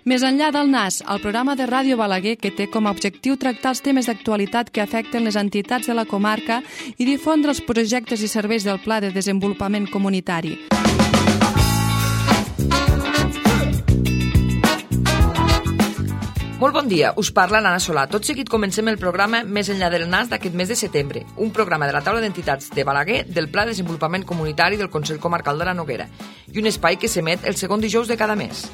Més enllà del NAS, el programa de Ràdio Balaguer que té com a objectiu tractar els temes d'actualitat que afecten les entitats de la comarca i difondre els projectes i serveis del Pla de Desenvolupament Comunitari. Molt bon dia, us parla l'Anna Solà. Tot seguit comencem el programa Més enllà del NAS d'aquest mes de setembre, un programa de la taula d'entitats de Balaguer del Pla de Desenvolupament Comunitari del Consell Comarcal de la Noguera i un espai que s'emet el segon dijous de cada mes.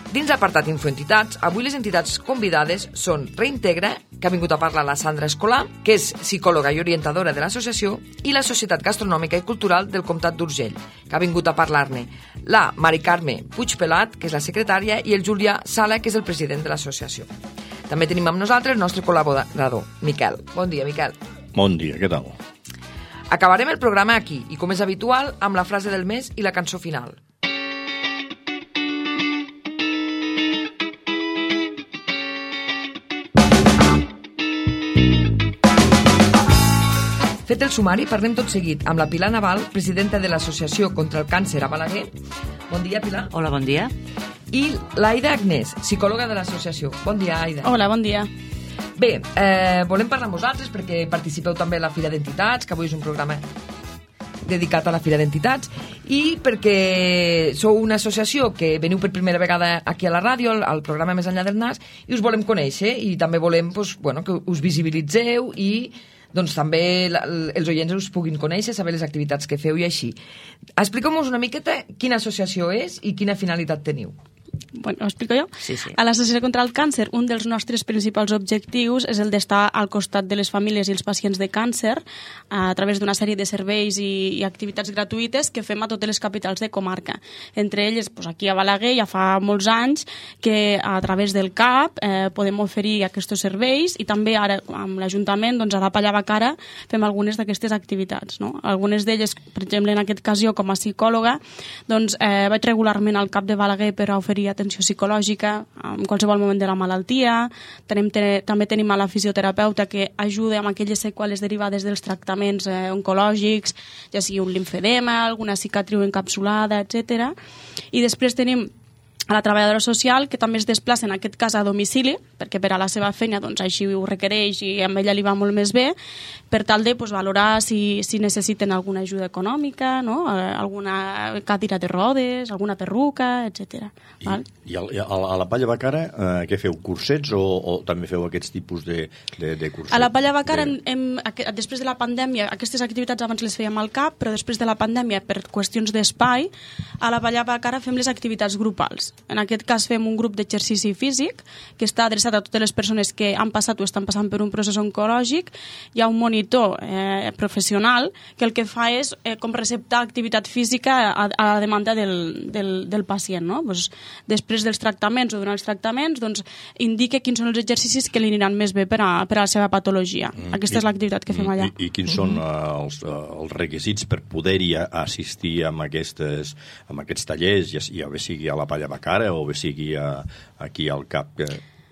Dins l'apartat Infoentitats, avui les entitats convidades són Reintegra, que ha vingut a parlar la Sandra Escolà, que és psicòloga i orientadora de l'associació, i la Societat Gastronòmica i Cultural del Comtat d'Urgell, que ha vingut a parlar-ne la Mari Carme Puigpelat, que és la secretària, i el Julià Sala, que és el president de l'associació. També tenim amb nosaltres el nostre col·laborador, Miquel. Bon dia, Miquel. Bon dia, què tal? Acabarem el programa aquí, i com és habitual, amb la frase del mes i la cançó final. Fet el sumari, parlem tot seguit amb la Pilar Naval, presidenta de l'Associació contra el Càncer a Balaguer. Bon dia, Pilar. Hola, bon dia. I l'Aida Agnès, psicòloga de l'associació. Bon dia, Aida. Hola, bon dia. Bé, volem parlar amb vosaltres perquè participeu també a la Fira d'Entitats, que avui és un programa dedicat a la Fira d'Entitats, i perquè sou una associació que veniu per primera vegada aquí a la ràdio, al programa Més enllà del NAS, i us volem conèixer, i també volem que us visibilitzeu i també els oients us puguin conèixer, saber les activitats que feu i així. Expliqueu-nos una miqueta quina associació és i quina finalitat teniu. Bueno, ho explico jo? Sí. A l'Associació contra el Càncer, un dels nostres principals objectius és el d'estar al costat de les famílies i els pacients de càncer a través d'una sèrie de serveis i activitats gratuïtes que fem a totes les capitals de comarca. Entre elles, aquí a Balaguer ja fa molts anys que a través del CAP podem oferir aquests serveis i també ara amb l'Ajuntament, a la Palla Bacara, fem algunes d'aquestes activitats. No? Algunes d'elles, per exemple, en aquest cas jo com a psicòloga, vaig regularment al CAP de Balaguer per a oferir atenció psicològica en qualsevol moment de la malaltia. També tenim a la fisioterapeuta que ajuda amb aquelles seqüeles derivades dels tractaments oncològics, ja sigui un limfedema, alguna cicatriu encapsulada, etc. I després tenim a la treballadora social, que també es desplaça en aquest cas a domicili, perquè per a la seva feina així ho requereix i amb ella li va molt més bé, per tal de valorar si necessiten alguna ajuda econòmica, no? Alguna cadira de rodes, alguna perruca, etc. I a la Palla Bacara què feu? Cursets o també feu aquests tipus de cursets? A la Palla Bacara, després de la pandèmia, aquestes activitats abans les fèiem al CAP, però després de la pandèmia, per qüestions d'espai, a la Palla Bacara fem les activitats grupals. En aquest cas fem un grup d'exercici físic que està adreçat a totes les persones que han passat o estan passant per un procés oncològic. Hi ha un monitor professional que el que fa és com receptar activitat física a la demanda del pacient. No? Després dels tractaments o durant els tractaments indica quins són els exercicis que li aniran més bé per a la seva patologia. Aquesta és l'activitat que fem allà. I quins són els requisits per poder-hi assistir amb aquests tallers, ja bé sigui a la Palla Bacara o bé sigui aquí al CAP?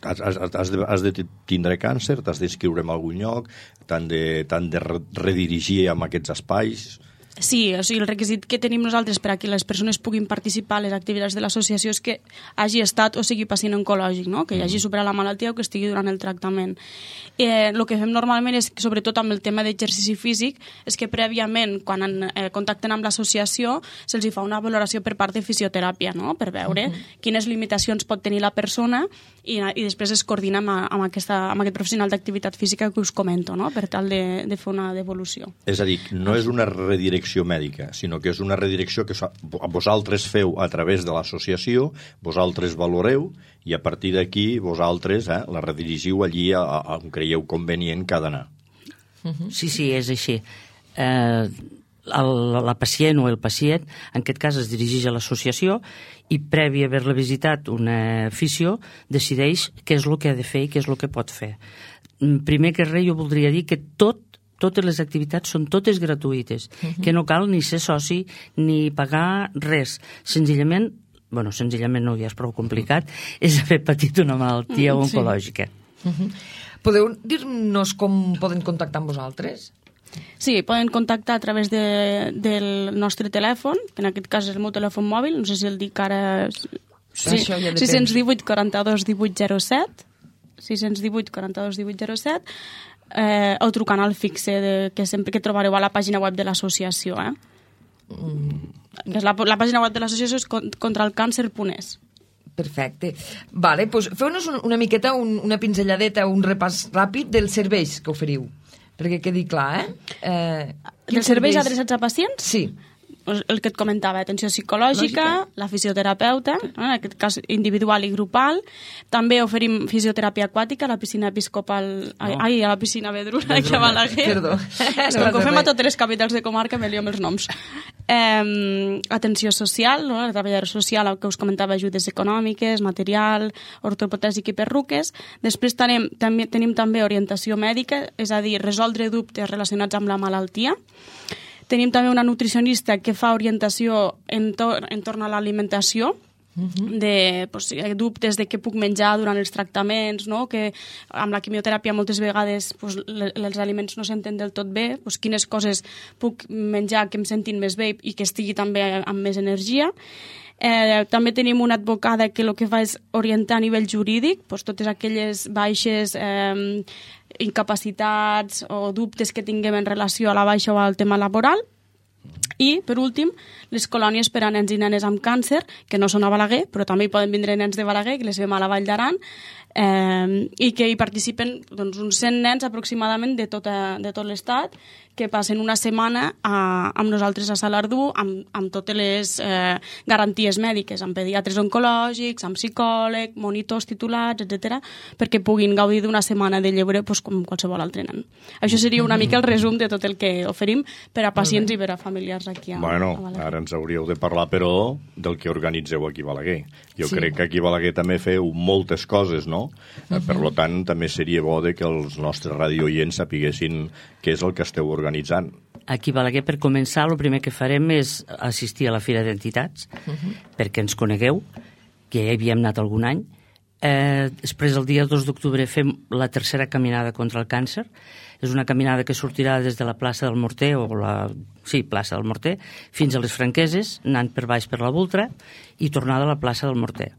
Has de tindre càncer, t'has d'inscriure en algun lloc, t'han de redirigir en aquests espais? Sí, o sigui, el requisit que tenim nosaltres per a que les persones puguin participar a les activitats de l'associació és que hagi estat o sigui pacient oncològic, no? Que hagi superat la malaltia o que estigui durant el tractament. El que fem normalment és, sobretot amb el tema d'exercici físic, és que prèviament, quan contacten amb l'associació, se'ls fa una valoració per part de fisioteràpia, no? Per veure quines limitacions pot tenir la persona i després es coordina amb aquest professional d'activitat física que us comento, no? Per tal de fer una devolució. És a dir, no és una redirecció mèdica, sinó que és una redirecció que vosaltres feu a través de l'associació, vosaltres valoreu i a partir d'aquí vosaltres la redirigiu allí on creieu convenient que ha d'anar. Sí, és així. La pacient o el pacient, en aquest cas es dirigeix a l'associació i previ a haver-la visitat una fisio decideix què és el que ha de fer i què és el que pot fer. Primer que res jo voldria dir que totes les activitats són totes gratuïtes, que no cal ni ser soci ni pagar res. Senzillament no, ja és prou complicat, és haver patit una malaltia oncològica. Podeu dir-nos com poden contactar amb vosaltres? Sí, poden contactar a través del nostre telèfon, que en aquest cas és el meu telèfon mòbil, no sé si el dic ara... Sí, Això ja depèn. 618 42 18 07, 618 42 18 07, o trucant al fixe que trobareu a la pàgina web de l'associació. La pàgina web de l'associació és contralcàncer.es. Perfecte. Vale, doncs feu-nos una miqueta, una pinzelladeta, un repàs ràpid dels serveis que oferiu, perquè quedi clar, Els serveis adreçats a pacients? Sí. El que et comentava, atenció psicològica, la fisioterapeuta, en aquest cas individual i grupal. També oferim fisioteràpia aquàtica a la piscina episcopal... Ai, a la piscina Vedruna, aquí a Balaguer. Perdó. És com que ho fem a totes les capitals de comarca, me lio amb els noms. Atenció social, la treballadora social, que us comentava, ajudes econòmiques, material, ortopedèsic i perruques. Després tenim també orientació mèdica, és a dir, resoldre dubtes relacionats amb la malaltia. Tenim també una nutricionista que fa orientació entorn a l'alimentació, de dubtes de què puc menjar durant els tractaments, no? Que amb la quimioteràpia moltes vegades els aliments no s'entén del tot bé, quines coses puc menjar que em sentin més bé i que estigui també amb més energia. També tenim una advocada que el que fa és orientar a nivell jurídic, totes aquelles baixes, incapacitats o dubtes que tinguem en relació a la baixa o al tema laboral. I, per últim, les colònies per a nens i nenes amb càncer, que no són a Balaguer, però també hi poden vindre nens de Balaguer, que les fem a la Vall d'Aran, i que hi participen uns 100 nens aproximadament de tot l'estat, que passen una setmana amb nosaltres a Salardú amb totes les garanties mèdiques, amb pediatres oncològics, amb psicòleg, monitors titulats, etc., perquè puguin gaudir d'una setmana de lleure com qualsevol altre nen. Això seria una mica el resum de tot el que oferim per a pacients i per a familiars aquí a Balaguer. Ara ens hauríeu de parlar, però, del que organitzeu aquí a Balaguer. Jo crec que aquí a Balaguer també feu moltes coses, no? Per tant, també seria bo que els nostres radiooients sapiguessin què és el que esteu organitzant. Aquí a Balaguer, per començar, el primer que farem és assistir a la Fira d'Entitats, perquè ens conegueu, que ja hi havíem anat algun any. Després, el dia 2 d'octubre, fem la tercera caminada contra el càncer. És una caminada que sortirà des de la plaça del Morter, plaça del Morter, fins a les Franqueses, anant per baix per la Vultra, i tornada a la plaça del Morter.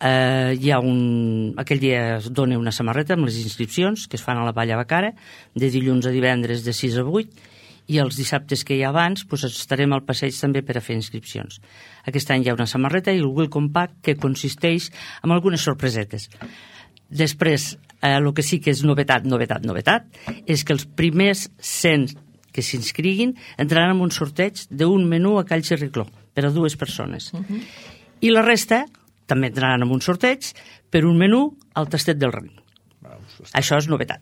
Aquell dia es dona una samarreta amb les inscripcions que es fan a la Vall a Bacara, de dilluns a divendres de 6 a 8, i els dissabtes que hi ha abans estarem al passeig també per a fer inscripcions. Aquest any hi ha una samarreta i el Welcome Pack, que consisteix en algunes sorpresetes. Després, el que sí que és novetat, és que els primers 100 que s'inscriguin entraran en un sorteig d'un menú a Call Xerricló per a 2 persones. I la resta també entraran en un sorteig per un menú al Tastet del Rin. Això és novetat.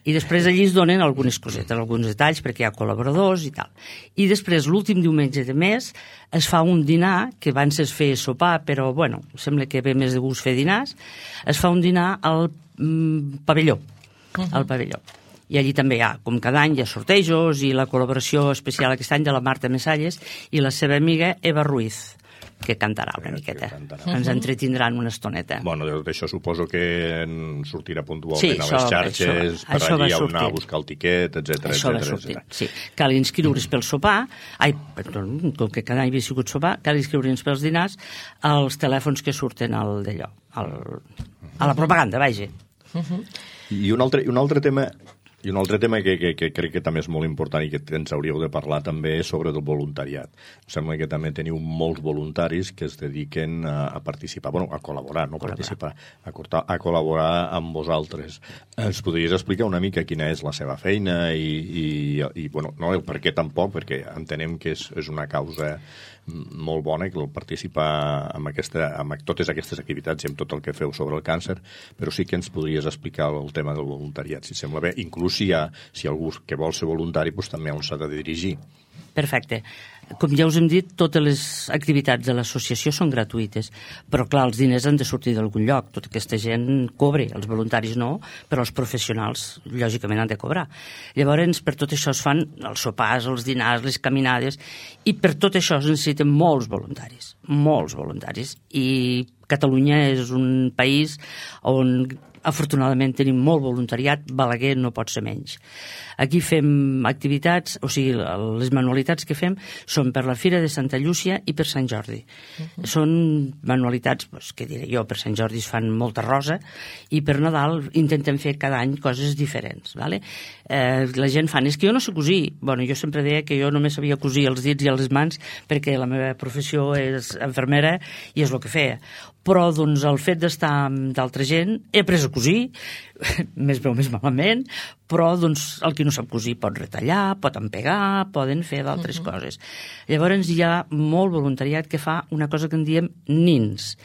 I després allí es donen algunes cosetes, alguns detalls, perquè hi ha col·laboradors i tal. I després, l'últim diumenge de mes, es fa un dinar, que abans es feia sopar, però, sembla que ve més de gust fer dinars. Es fa un dinar al pavelló, I allí també hi ha, com cada any, hi ha sortejos i la col·laboració especial aquest any de la Marta Mesalles i la seva amiga Eva Ruiz, que cantarà una miqueta. Ens entretindran una estoneta. Bueno, d'això suposo que sortirà puntualment a les xarxes, per allí on anar a buscar el tiquet, etc. Això va sortir, sí. Cal inscriure's pel sopar, com que cada any havia sigut sopar, cal inscriure's pels dinars als telèfons que surten a la propaganda, vaja. I un altre tema que crec que també és molt important i que ens hauríeu de parlar també és sobre el voluntariat. Em sembla que també teniu molts voluntaris que es dediquen a participar, a col·laborar, no participar, a col·laborar amb vosaltres. Ens podries explicar una mica quina és la seva feina i no el per què tampoc, perquè entenem que és una causa molt bona que el participar amb totes aquestes activitats i amb tot el que feu sobre el càncer, però sí que ens podries explicar el tema del voluntariat, si sembla bé, inclús si algú que vol ser voluntari també on s'ha de dirigir. Perfecte. Com ja us hem dit, totes les activitats de l'associació són gratuïtes, però clar, els diners han de sortir d'algun lloc. Tota aquesta gent cobra, els voluntaris no, però els professionals lògicament han de cobrar. Llavors, per tot això es fan els sopars, els dinars, les caminades, i per tot això es necessiten molts voluntaris. I Catalunya és un país on afortunadament tenim molt voluntariat, Balaguer no pot ser menys. Aquí fem activitats, o sigui, les manualitats que fem són per la Fira de Santa Llúcia i per Sant Jordi. Són manualitats, què diré jo, per Sant Jordi es fan molta rosa i per Nadal intentem fer cada any coses diferents. Vale? La gent fa, és que jo no sé cosir. Bueno, jo sempre deia que jo només sabia cosir els dits i les mans perquè la meva professió és infermera i és el que feia. Però doncs, el fet d'estar amb d'altra gent he après a cosir, més bé o més malament, però doncs, el qui no sap cosir pot retallar, pot empegar, poden fer d'altres coses. Llavors hi ha molt voluntariat que fa una cosa que en diem nins,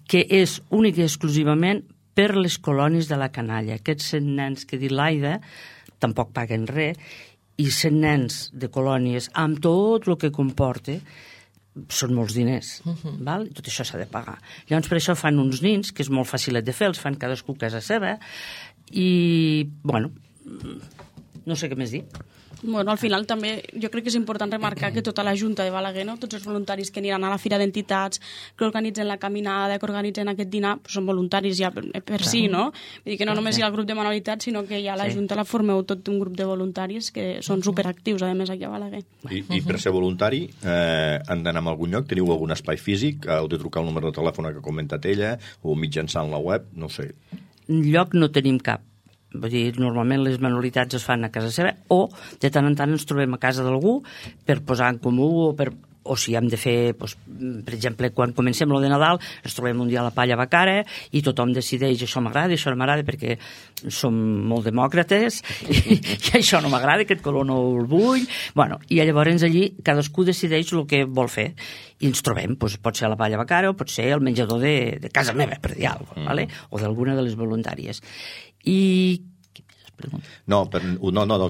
que és únic i exclusivament per les colònies de la canalla. Aquests 100 nens que ha dit l'Aida tampoc paguen res, i 100 nens de colònies amb tot el que comporta són molts diners, val? Tot això s'ha de pagar. Llavors per això fan uns nins, que és molt fàcilet de fer, els fan cadascú a casa seva, i, bueno, no sé què més dir. Bueno, al final també jo crec que és important remarcar que tota la Junta de Balaguer, no? Tots els voluntaris que aniran a la Fira d'Entitats, que organitzen la caminada, que organitzen aquest dinar, són voluntaris ja per si, no? Vull dir que no només hi ha el grup de manualitats, sinó que ja la Junta la formeu tot un grup de voluntaris que són superactius, a més, aquí a Balaguer. I per ser voluntari han d'anar a algun lloc? Teniu algun espai físic? Heu de trucar el número de telèfon que ha comentat ella o mitjançant la web? No sé. Lloc no tenim cap. Vull dir, normalment les manualitats es fan a casa seva o de tant en tant ens trobem a casa d'algú per posar en comú o si hem de fer, doncs, per exemple, quan comencem lo de Nadal, ens trobem un dia a la palla Bacara i tothom decideix això m'agrada, això no m'agrada perquè som molt demòcrates i això no m'agrada, aquest color no el vull. Bueno, i llavors allí cadascú decideix el que vol fer i ens trobem, doncs, pot ser a la palla Bacara o pot ser al menjador de casa meva, per dir alguna cosa, ¿vale? O d'alguna de les voluntàries. I no,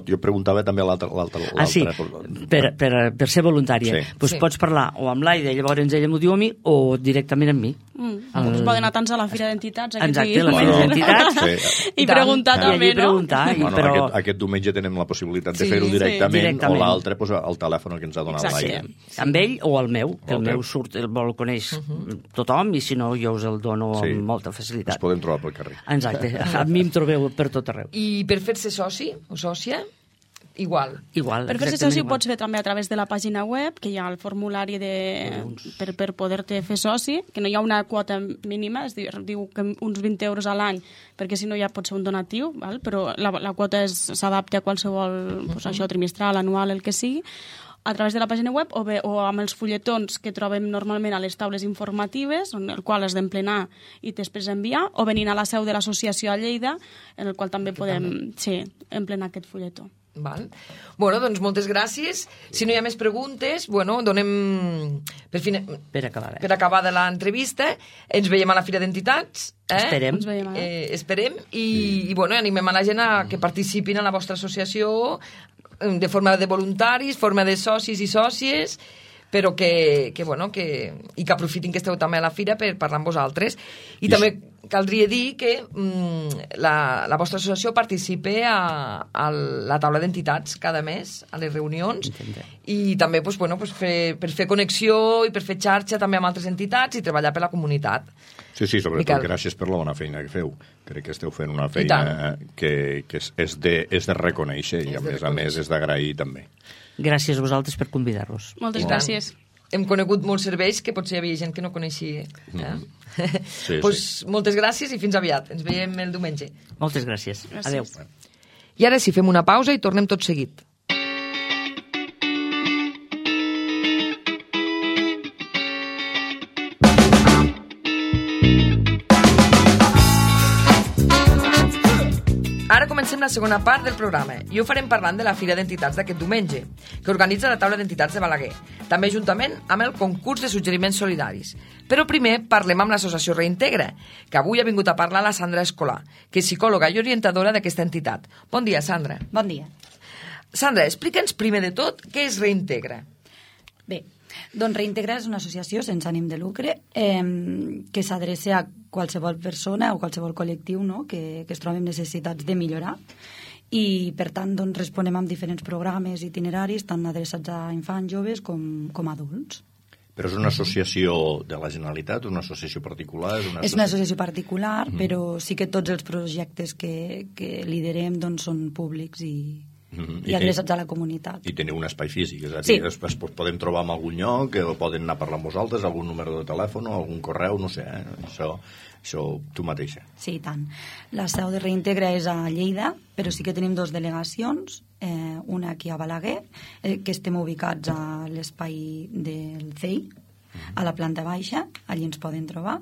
jo preguntava també a l'altra. Ah, sí, per ser voluntària. Doncs pots parlar o amb l'Aida, llavors ella m'ho diu a mi, o directament amb mi. Doncs poden anar tants a la Fira d'Entitats. Exacte, a la Fira d'Entitats. I preguntar també, no? Aquest diumenge tenem la possibilitat de fer-ho directament, o l'altre, al telèfon que ens ha donat l'Aida. Amb ell o el meu, que el meu surt, el coneix tothom, i si no jo us el dono amb molta facilitat. Ens podem trobar pel carrer. Exacte, a mi em trobeu per tot arreu. I per fer-se soci o sòcia, igual. Per fer-se soci ho pots fer també a través de la pàgina web, que hi ha el formulari per poder-te fer soci, que no hi ha una quota mínima, es diu que uns 20 euros a l'any, perquè si no ja pot ser un donatiu, val? Però la quota s'adapta a qualsevol trimestral, anual, el que sigui, a través de la pàgina web o amb els fulletons que trobem normalment a les taules informatives, en el qual has d'emplenar i després enviar, o venint a la seu de l'associació a Lleida, en el qual també podem emplenar aquest fulletó. Val. Bueno, doncs moltes gràcies. Si no hi ha més preguntes, bueno, donem per acabar de l'entrevista. Ens veiem a la Fira d'Entitats. Esperem. Esperem i bueno, animem a la gent a que participin a la vostra associació de forma de voluntaris, forma de socis i sòcies, però que aprofitin que esteu també a la fira per parlar amb vosaltres. I també caldria dir que la vostra associació participa a la taula d'entitats cada mes, a les reunions, i també per fer connexió i per fer xarxa també amb altres entitats i treballar per la comunitat. Sí, sobretot gràcies per la bona feina que feu. Crec que esteu fent una feina que és de reconèixer i a més és d'agrair també. Gràcies a vosaltres per convidar-vos. Moltes gràcies. Hem conegut molts serveis que potser hi havia gent que no coneixia. Moltes gràcies i fins aviat. Ens veiem el diumenge. Moltes gràcies. Adéu. I ara sí, fem una pausa i tornem tot seguit. Ara comencem la segona part del programa i ho farem parlant de la Fira d'Entitats d'aquest diumenge, que organitza la taula d'entitats de Balaguer, també juntament amb el concurs de suggeriments solidaris. Però primer parlem amb l'associació Reintegra, que avui ha vingut a parlar la Sandra Escolà, que és psicòloga i orientadora d'aquesta entitat. Bon dia, Sandra. Bon dia. Sandra, explica'ns primer de tot què és Reintegra. Bé, doncs Reintegra és una associació sense ànim de lucre que s'adreça a qualsevol persona o qualsevol col·lectiu, no? que es trobi amb necessitats de millorar i per tant doncs, responem amb diferents programes itineraris tant adreçats a infants, joves com adults. Però és una associació de la Generalitat, una associació particular? És una associació particular, però sí que tots els projectes que liderem doncs, són públics i adreçats a la comunitat. I teniu un espai físic, és a dir, es podem trobar en algun lloc, o poden anar a parlar amb vosaltres, algun número de telèfon, algun correu, no sé, això tu mateixa. Sí, i tant. La seu de Reintegra és a Lleida, però sí que tenim 2 delegacions, una aquí a Balaguer, que estem ubicats a l'espai del CEI, a la planta baixa, allí ens poden trobar,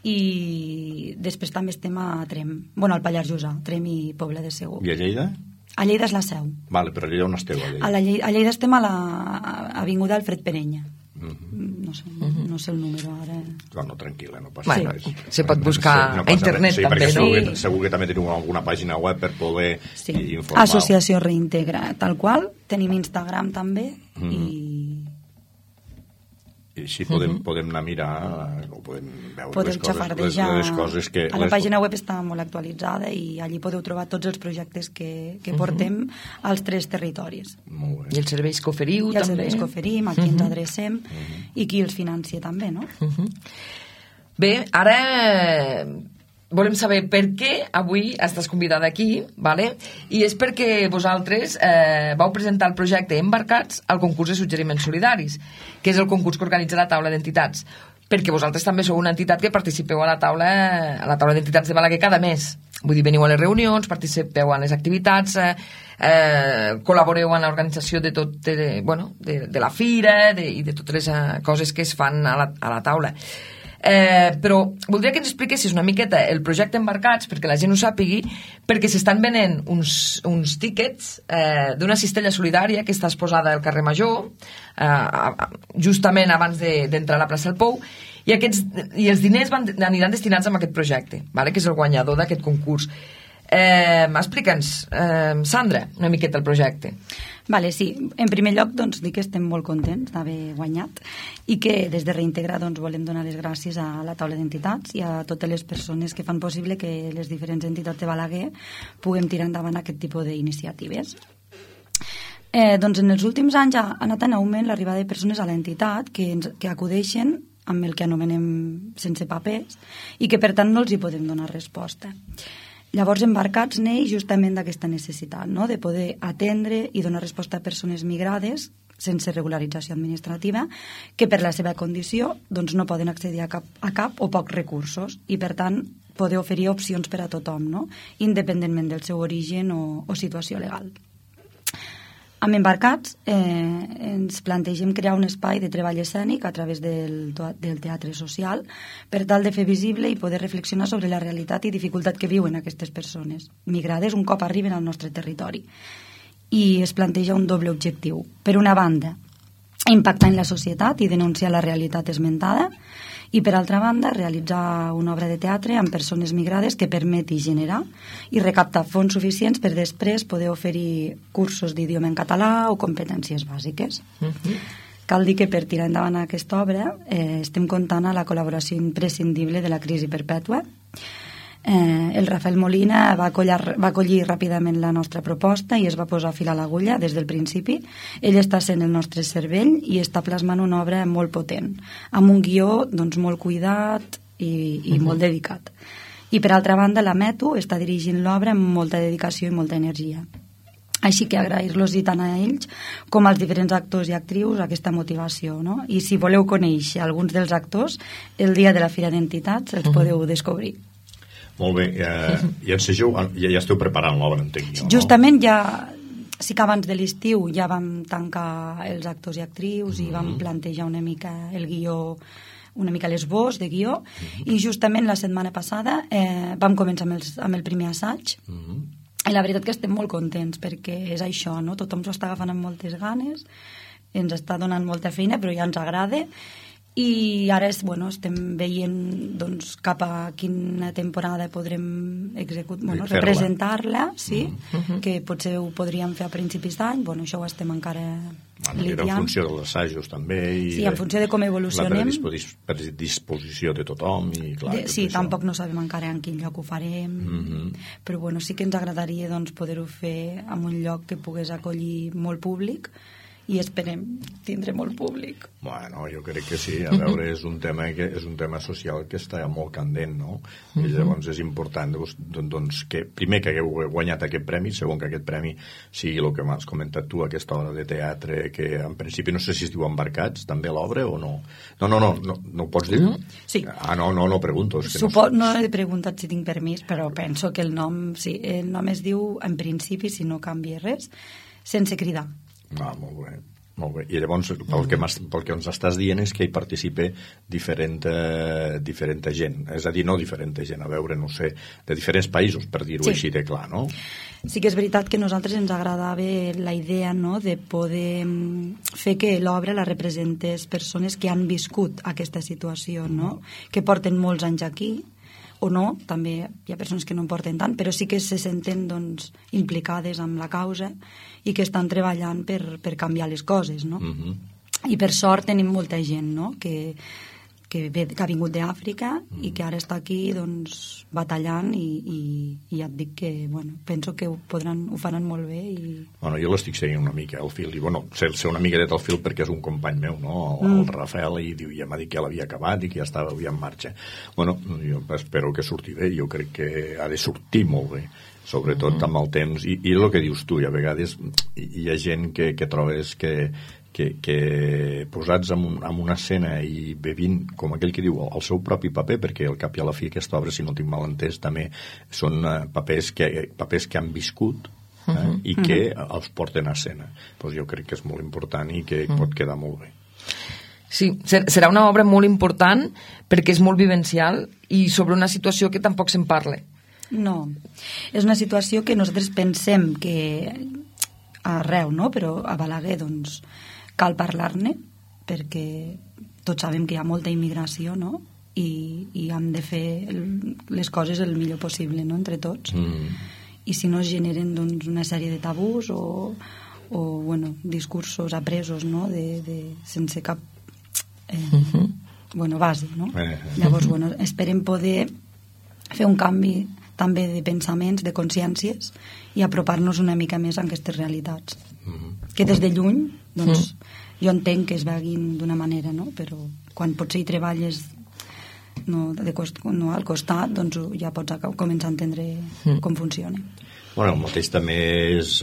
i després també estem a Trem, al Pallars Jussà, Trem i Pobla de Segur. I a Lleida? A Lleida és la seu. Vale, però a Lleida on esteu? A Lleida estem a l'avinguda Alfred Perenya. No sé el número ara. No, tranquil·la, no passa res. Se pot buscar a internet també, no? Segur que també teniu alguna pàgina web per poder informar. Associació Reintegra, tal qual. Tenim Instagram també i així podem anar a mirar o podem veure les coses que... La pàgina web està molt actualitzada i allí podeu trobar tots els projectes que portem als 3 territoris. Molt bé. I els serveis que oferiu també. I els serveis que oferim, a qui ens adrecem i qui els financia també, no? Bé, ara volem saber per què avui estàs convidada aquí, ¿vale? I és perquè vosaltres vau presentar el projecte Embarcats al concurs de suggeriments solidaris, que és el concurs que organitza la taula d'entitats, perquè vosaltres també sou una entitat que participeu a la taula d'entitats de Balaguer cada mes. Vull dir, veniu a les reunions, participeu en les activitats, col·laboreu en l'organització de la fira i de totes les coses que es fan a la taula. Però voldria que ens expliquessis una miqueta el projecte Embarcats, perquè la gent ho sàpigui, perquè s'estan venent uns tíquets d'una cistella solidària que està exposada al carrer Major, justament abans d'entrar a la plaça del Pou, i els diners aniran destinats a aquest projecte, que és el guanyador d'aquest concurs. Explica'ns, Sandra, una miqueta el projecte. Vale, sí. En primer lloc, doncs, dir que estem molt contents d'haver guanyat i que des de Reintegra volem donar les gràcies a la taula d'entitats i a totes les persones que fan possible que les diferents entitats de Balaguer puguem tirar endavant aquest tipus d'iniciatives. Doncs en els últims anys ha anat en augment l'arribada de persones a l'entitat que acudeixen amb el que anomenem sense papers i que per tant no els hi podem donar resposta. Llavors, Embarcats neix justament d'aquesta necessitat, no?, de poder atendre i donar resposta a persones migrades sense regularització administrativa que per la seva condició doncs, no poden accedir a cap o pocs recursos i, per tant, poder oferir opcions per a tothom, no?, independentment del seu origen o situació legal. Amb Embarcats ens plantegem crear un espai de treball escènic a través del teatre social per tal de fer visible i poder reflexionar sobre la realitat i dificultat que viuen aquestes persones migrades un cop arriben al nostre territori. I es planteja un doble objectiu. Per una banda, impactar en la societat i denunciar la realitat esmentada i, per altra banda, realitzar una obra de teatre amb persones migrades que permeti generar i recaptar fons suficients per després poder oferir cursos d'idioma en català o competències bàsiques. Cal dir que per tirar endavant aquesta obra estem comptant a la col·laboració imprescindible de la Crisi Perpètua. El Rafael Molina va acollir ràpidament la nostra proposta i es va posar a fil a l'agulla des del principi. Ell està sent el nostre cervell i està plasmant una obra molt potent, amb un guió doncs, molt cuidat i molt dedicat. I per altra banda, la Metu està dirigint l'obra amb molta dedicació i molta energia. Així que agrair-los i tant a ells com als diferents actors i actrius aquesta motivació, no? I si voleu conèixer alguns dels actors, el dia de la Fira d'Entitats els podeu descobrir. Molt bé, ja esteu preparant l'obra, entenc jo, no? Justament sí que abans de l'estiu ja vam tancar els actors i actrius i vam plantejar una mica el guió, una mica l'esbós de guió, i justament la setmana passada vam començar amb el primer assaig. I la veritat que estem molt contents perquè és això, no? Tothom s'ho està agafant amb moltes ganes, ens està donant molta feina, però ja ens agrada. I ara estem veient doncs, cap a quina temporada podrem representar-la, sí, que potser ho podríem fer a principis d'any. Això ho estem encara lidiant. En funció dels assajos també. Sí, en funció de com evolucionem. La predisposició de tothom. Sí, tampoc no sabem encara en quin lloc ho farem, però sí que ens agradaria poder-ho fer en un lloc que pogués acollir molt públic i esperem tindre molt públic. Bueno, jo crec que sí. A veure, és un tema social que està molt candent, no? I llavors és important doncs, que primer que hagueu guanyat aquest premi, segon que aquest premi sigui el que m'has comentat tu, aquesta obra de teatre que en principi no sé si es diu Embarcats, també l'obra o no? No ho pots dir? Sí. No pregunto. No he preguntat si tinc permís, però penso que el nom es diu, en principi, si no canvia res, Sense cridar. Molt bé. I llavors pel que ens estàs dient és que hi participa diferent gent, és a dir, no diferent gent, a veure, no sé, de diferents països, per dir-ho així de clar, no? Sí que és veritat que a nosaltres ens agradava la idea, no?, de poder fer que l'obra la representés persones que han viscut aquesta situació, no?, que porten molts anys aquí, o no, també hi ha persones que no en porten tant, però sí que se senten doncs, implicades amb la causa i que estan treballant per canviar les coses, no? I per sort tenim molta gent, no?, que ha vingut d'Àfrica i que ara està aquí doncs, batallant i ja et dic que penso que ho faran molt bé jo l'estic seguint una mica al fil i sé una miqueta al fil perquè és un company meu, no? El Rafael, i diu, ja m'ha dit que l'havia acabat i que ja estava en marxa. Jo espero que surti bé, jo crec que ha de sortir molt bé, sobretot amb el temps i el que dius tu, i a vegades hi ha gent que trobes que posats en una escena i bevint, com aquell que diu, el seu propi paper, perquè al cap i a la fi aquesta obra, si no tinc mal entès, també són papers que han viscut i que els porten a escena. Jo crec que és molt important i que pot quedar molt bé. Sí, serà una obra molt important perquè és molt vivencial i sobre una situació que tampoc se'n parla. No, és una situació que nosaltres pensem que arreu, no? Però a Balaguer, doncs, cal parlar-ne perquè tots sabem que hi ha molta immigració, no? I hem de fer les coses el millor possible, no?, entre tots. I si no es generen doncs, una sèrie de tabús o discursos apresos, no?, sense cap base, no? Llavors, esperem poder fer un canvi també de pensaments, de consciències i apropar-nos una mica més a aquestes realitats que des de lluny doncs, jo entenc que es veguin d'una manera, no? Però quan potser hi treballes al costat doncs ja pots començar a entendre com funciona. El mateix també és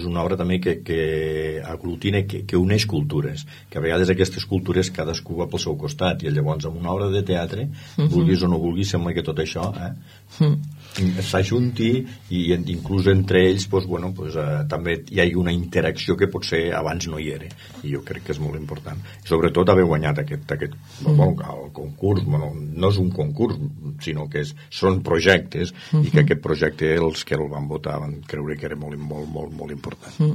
una obra també que aglutina, que uneix cultures, que a vegades aquestes cultures cadascú va pel seu costat i llavors en una obra de teatre, vulguis o no vulguis, sembla que tot això s'ajunti i inclús entre ells també hi ha una interacció que potser abans no hi era i jo crec que és molt important i sobretot haver guanyat aquest concurs, no és un concurs sinó que són projectes i que aquest projecte els que el van votar van creure que era molt, molt, molt, molt important.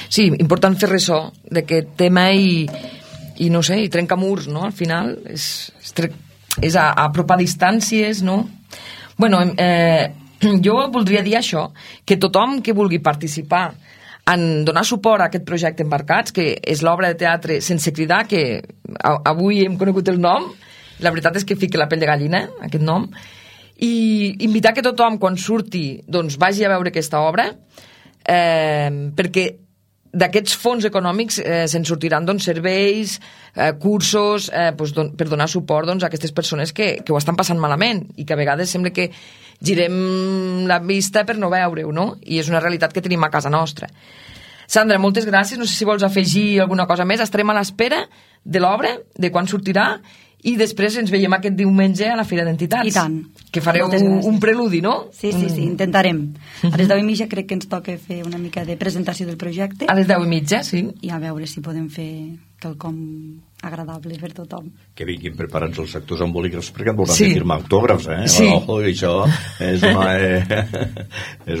Sí, important fer ressò d'aquest tema i no sé, i trencar murs, no? Al final és apropar distàncies, no? Jo voldria dir això, que tothom que vulgui participar en donar suport a aquest projecte Embarcats, que és l'obra de teatre Sense cridar, que avui hem conegut el nom, la veritat és que fica la pell de gallina, aquest nom, i invitar que tothom, quan surti, doncs vagi a veure aquesta obra, perquè d'aquests fons econòmics se'n sortiran doncs, serveis, cursos, per donar suport doncs, a aquestes persones que ho estan passant malament i que a vegades sembla que girem la vista per no veure-ho, no? I és una realitat que tenim a casa nostra. Sandra, moltes gràcies. No sé si vols afegir alguna cosa més. Estarem a l'espera de l'obra, de quan sortirà, i després ens veiem aquest diumenge a la Fira d'Entitats. I tant. Que fareu un preludi, no? Sí, intentarem. A les 10:30 crec que ens toca fer una mica de presentació del projecte. A les 10:30, sí. I a veure si podem fer quelcom agradable per tothom. Que vinguin preparats els actors amb bolígrafs perquè et veuran firmar autògrafs, Sí. Això és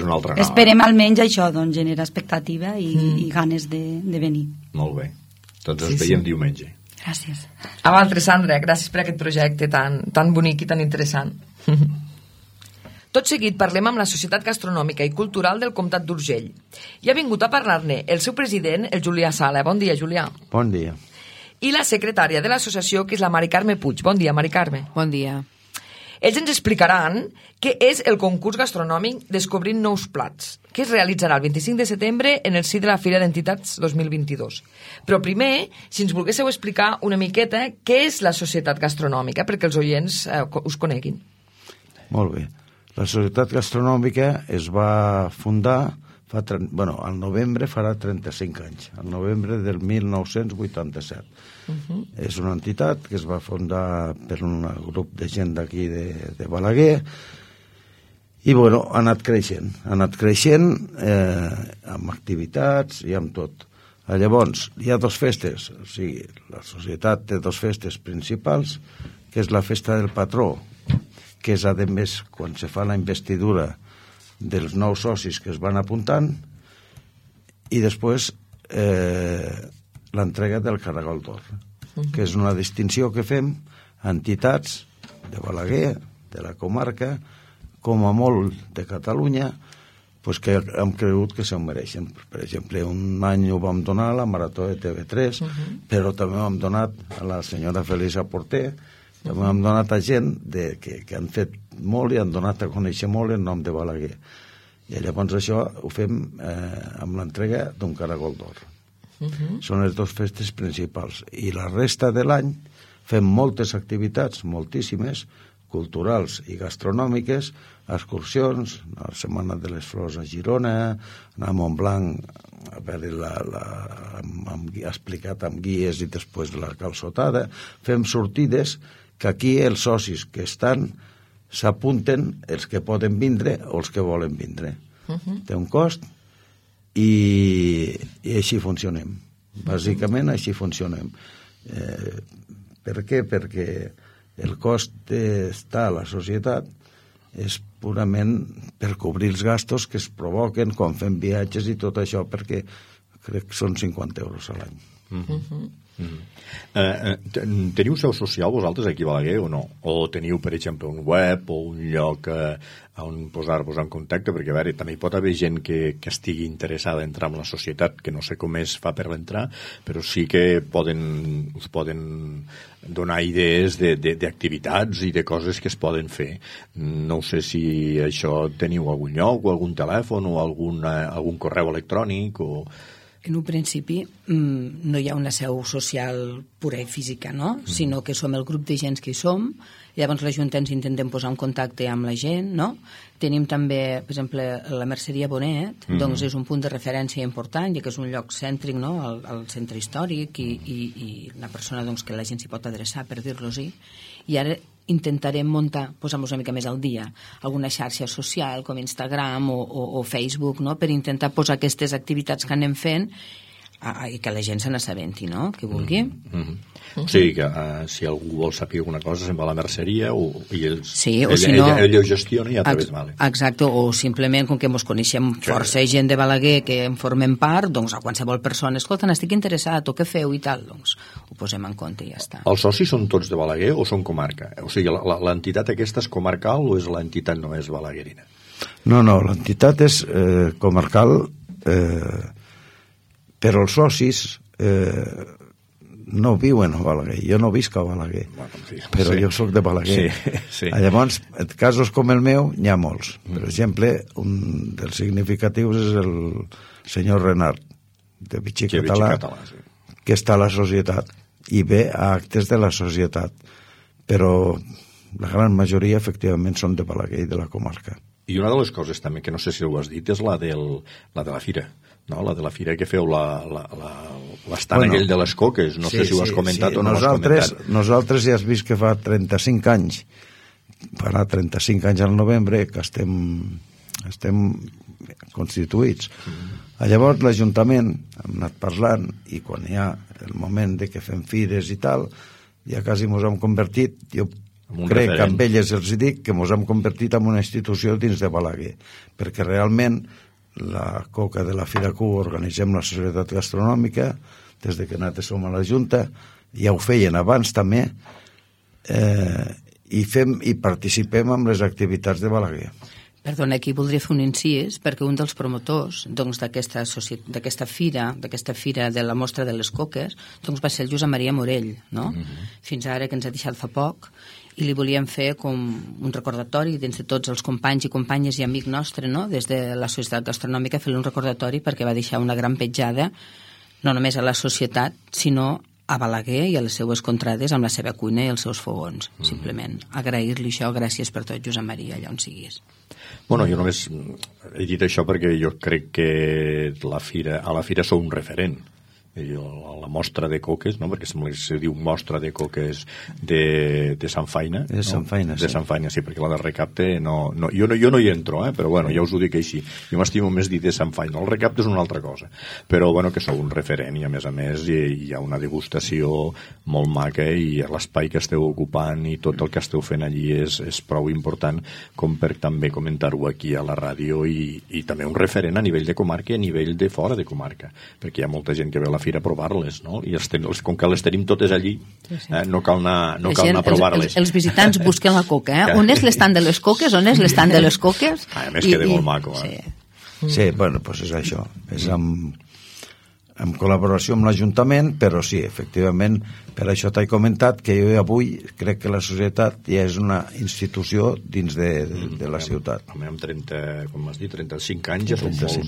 una altra cosa. Esperem almenys això, doncs, generar expectativa i ganes de venir. Molt bé. Doncs ens veiem diumenge. Gràcies. A vosaltres, Sandra, gràcies per aquest projecte tan bonic i tan interessant. Tot seguit parlem amb la Societat Gastronòmica i Cultural del Comtat d'Urgell. I ha vingut a parlar-ne el seu president, el Julià Sala. Bon dia, Julià. Bon dia. I la secretària de l'associació, que és la Mari Carme Puig. Bon dia, Mari Carme. Bon dia. Ells ens explicaran què és el concurs gastronòmic Descobrint nous plats, que es realitzarà el 25 de setembre en el si de la Fira d'Entitats 2022. Però primer, si ens volguéssiu explicar una miqueta què és la Societat Gastronòmica, perquè els oients us coneguin. Molt bé. La Societat Gastronòmica es va fundar, al novembre farà 35 anys, al novembre del 1987. És una entitat que es va fundar per un grup de gent d'aquí de Balaguer i, ha anat creixent. Ha anat creixent amb activitats i amb tot. Llavors, hi ha dues festes, o sigui, la societat té dues festes principals, que és la festa del patró, que és, a més, quan se fa la investidura dels nous socis que es van apuntant, i després l'entrega del Caragol d'Or, que és una distinció que fem a entitats de Balaguer, de la comarca, com a molt de Catalunya, que hem cregut que se'l mereixen. Per exemple, un any ho vam donar a la Marató de TV3, però també ho hem donat a la senyora Felisa Porter, també hem donat a gent que han fet molt i han donat a conèixer molt el nom de Balaguer. I llavors això ho fem amb l'entrega d'un Caragol d'Or. Són les dues festes principals. I la resta de l'any fem moltes activitats, moltíssimes, culturals i gastronòmiques, excursions, la Setmana de les Flors a Girona, anar a Montblanc a veure explicat amb guies i després la calçotada. Fem sortides que aquí els socis que estan s'apunten, els que poden vindre o els que volen vindre. Té un cost i així funcionem. Bàsicament així funcionem. Per què? Perquè el cost d'estar a la societat és purament per cobrir els gastos que es provoquen quan fem viatges i tot això, perquè crec que són 50 euros a l'any. Teniu seu social vosaltres aquí a Balaguer o no? O teniu, per exemple, un web o un lloc on posar-vos en contacte? Perquè, a veure, també hi pot haver gent que estigui interessada a entrar en la societat, que no sé com es fa per entrar, però sí que us poden donar idees d'activitats i de coses que es poden fer. No sé si això teniu algun lloc o algun telèfon o algun correu electrònic o... En un principi no hi ha una seu social pura i física, no? Sinó que som el grup de gent que hi som, llavors la Junta ens intentem posar en contacte amb la gent, no? Tenim també, per exemple, la Merceria Bonet, doncs és un punt de referència important, ja que és un lloc cèntric, no?, al centre històric i una persona doncs, que la gent s'hi pot adreçar, per dir-los-hi. I ara intentarem muntar, posar-nos una mica més al dia, alguna xarxa social com Instagram o Facebook, no?, per intentar posar aquestes activitats que anem fent i que la gent se n'assabenti, no?, que vulgui. O sigui que si algú vol saber alguna cosa se'n va a la merceria i ell ho gestiona i ja t'ha vist. Exacte, o simplement com que ens coneixem força gent de Balaguer que en formem part, doncs a qualsevol persona, escolta, n'estic interessat, o què feu i tal, doncs ho posem en compte i ja està. Els socis són tots de Balaguer o són comarca? O sigui, l'entitat aquesta és comarcal o és l'entitat només balaguerina? No, l'entitat és comarcal, però els socis no viuen a Balaguer. Jo no visc a Balaguer, però jo soc de Balaguer. Sí. Llavors, en casos com el meu, n'hi ha molts. Per exemple, un dels significatius és el senyor Renard, de Vichy Català, que està a la societat i ve a actes de la societat. Però la gran majoria, efectivament, són de Balaguer i de la comarca. I una de les coses també, que no sé si ho has dit, és la de la fira. No? La de la fira que feu l'estant aquell de les coques, no sé si ho has comentat o no ho has comentat. Nosaltres ja has vist que fa 35 anys, farà 35 anys al novembre que estem constituïts. Llavors l'Ajuntament hem anat parlant i quan hi ha el moment de que fem fires i tal, ja quasi ens hem convertit, jo crec que amb elles els dic que ens hem convertit en una institució dins de Balaguer, perquè realment la coca de la Fira Q organitzem la Societat Gastronòmica des de que nosaltres som a la Junta, ja ho feien abans també, i participem en les activitats de Balaguer. Perdona, aquí voldria fer un incís, perquè un dels promotors doncs, d'aquesta fira de la mostra de les coques, doncs va ser el Josep Maria Morell, no? Fins ara, que ens ha deixat fa poc, i li volíem fer com un recordatori dins de tots els companys i companyes i amic nostre, no? Des de la Societat Gastronòmica, fer-li un recordatori perquè va deixar una gran petjada no només a la societat, sinó a Balaguer i a les seues contrades amb la seva cuina i els seus fogons, simplement. Agrair-li això, gràcies per tot, Josep Maria, allà on siguis. Bueno, jo només he dit això perquè jo crec que a la fira sou un referent. La mostra de coques, no? Perquè sembla que se diu mostra de coques de Sant Faina. De Sant Faina, sí. De Sant Faina, sí, perquè la de recapte jo no hi entro, però bueno, ja us ho dic així. Jo m'estimo més dir de Sant Faina. El recapte és una altra cosa. Però bueno, que sou un referent i a més hi ha una degustació molt maca i l'espai que esteu ocupant i tot el que esteu fent allí és prou important com per també comentar-ho aquí a la ràdio i també un referent a nivell de comarca i a nivell de fora de comarca, perquè hi ha molta gent que ve a la fira a provar-les, no? I com que les tenim totes allí, no cal anar a provar-les. Els visitants busquen la coca, On és l'estant de les coques? On és l'estant de les coques? A més queda molt maco, Sí, bueno, doncs és això. És en col·laboració amb l'Ajuntament, però sí, efectivament, per això t'he comentat que jo avui crec que la societat ja és una institució dins de la ciutat. Amb 30, com has dit, 35 anys ja són molts.